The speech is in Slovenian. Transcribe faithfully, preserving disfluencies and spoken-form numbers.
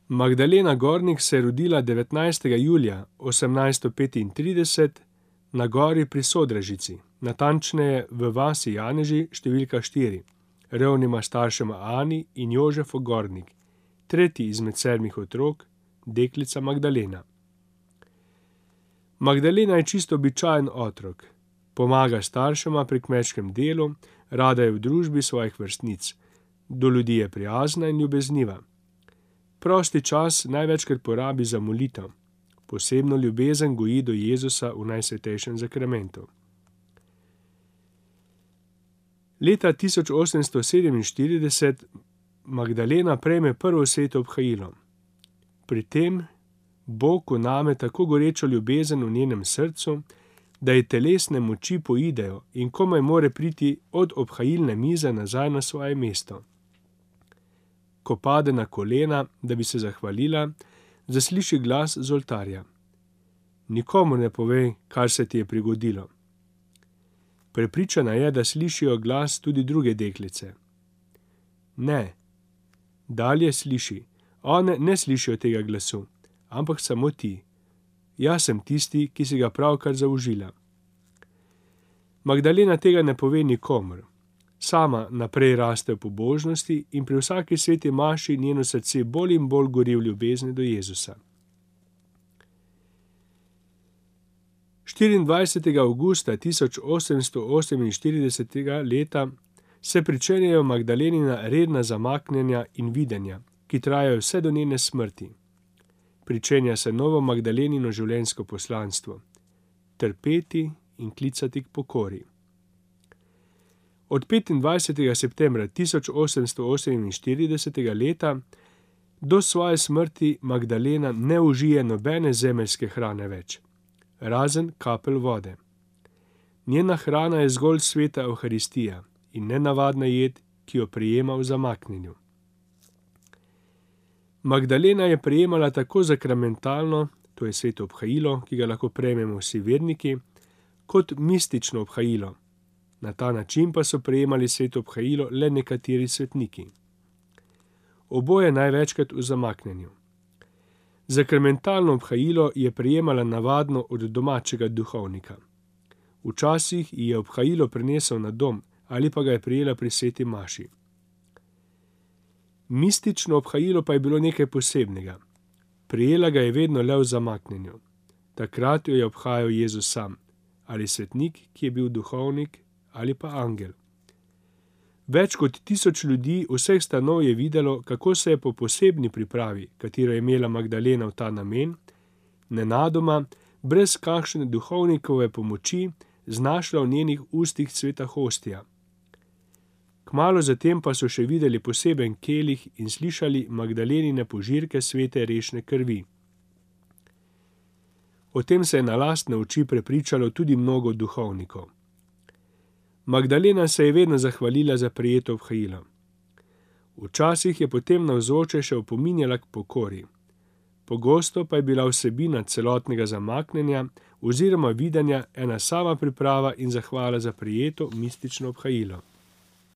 Magdalena Gornik se je rodila devetnajstega julija osemnajststo petintrideset na gori pri Sodražici, natančneje v vasi Janeži številka štiri, revnima staršema Ani in Jožefu Gornik, tretji izmed sedmih otrok, deklica Magdalena. Magdalena je čisto običajen otrok. Pomaga staršema pri kmečkem delu, rada je v družbi svojih vrstnic. Do ljudi je prijazna in ljubezniva. Prosti čas največkrat porabi za molitev. Posebno ljubezen goji do Jezusa v Najsvetejšem zakramentu. Leta tisoč osemsto sedeminštirideset Magdalena prejme prvo sveto obhajilo. Pri tem Bog vname tako gorečo ljubezen v njenem srcu, da ji telesne moči poidejo in komaj more priti od obhajilne mize nazaj na svoje mesto. Ko pade na kolena, da bi se zahvalila, zasliši glas z oltarja. Nikomur ne povej, kar se ti je prigodilo. Prepričana je, da slišijo glas tudi druge deklice. Ne. Dalje sliši. One ne slišijo tega glasu, ampak samo ti. Jaz sem tisti, ki si ga pravkar zaužila. Magdalena tega ne pove nikomur. Sama naprej raste v pobožnosti in pri vsaki sveti maši njeno srce bolj in bolj gori v ljubezni do Jezusa. štiriindvajsetega avgusta tisoč osemsto oseminštiridesetega leta se pričenjajo Magdalenina redna zamaknjenja in videnja, ki trajajo vse do njene smrti. Pričenja se novo Magdalenino življenjsko poslanstvo. Trpeti in klicati k pokori. Od petindvajsetega septembra tisoč osemsto oseminštiridesetega leta do svoje smrti Magdalena ne užije nobene zemeljske hrane več, razen kapelj vode. Njena hrana je zgolj sveta Evharistija in nenavadna jed, ki jo prejema v zamaknjenju. Magdalena je prejemala tako zakramentalno, to je sveto obhajilo, ki ga lahko prejmemo vsi verniki, kot mistično obhajilo. Na ta način pa so prejemali sveto obhajilo le nekateri svetniki. Oboje največkrat v zamaknjenju. Zakramentalno obhajilo je prejemala navadno od domačega duhovnika. Včasih ji je obhajilo prinesel na dom ali pa ga je prejela pri sveti maši. Mistično obhajilo pa je bilo nekaj posebnega. Prejela ga je vedno le v zamaknjenju. Takrat jo je obhajal Jezus sam, ali svetnik, ki je bil duhovnik, ali pa angel. Več kot tisoč ljudi vseh stanov je videlo, kako se je po posebni pripravi, katero je imela Magdalena v ta namen, nenadoma, brez kakšne duhovnikove pomoči, znašla v njenih ustih sveta hostija. Kmalu zatem pa so še videli poseben kelih in slišali Magdalenine požirke svete rešne krvi. O tem se je na lastne oči prepričalo tudi mnogo duhovnikov. Magdalena se je vedno zahvalila za prejeto obhajilo. Včasih je potem navzoče še opominjala k pokori. Pogosto pa je bila vsebina celotnega zamaknjenja oziroma videnja ena sama priprava in zahvala za prejeto mistično obhajilo.